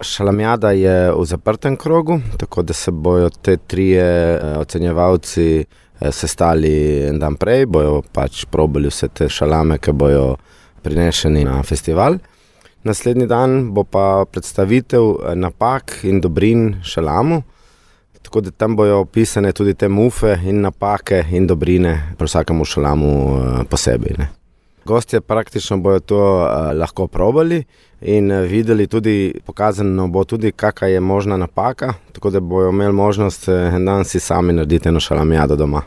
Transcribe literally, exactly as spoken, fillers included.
Šalamijada je v zaprtem krogu, tako da se bojo te trije ocenjevalci sestali en dan prej, bojo pač probali vse te šalame, ki bojo prinešeni na festival. Naslednji dan bo pa predstavitev napak in dobrin šalamu, tako da tam bojo opisane tudi te mufe in napake in dobrine pri vsakemu šalamu posebej, ne. Gostje praktično bojo to lahko probali in videli tudi, pokazano bo tudi, kakva je možna napaka, tako da bojo imeli možnost en dan si sami narediti eno šalamijado doma.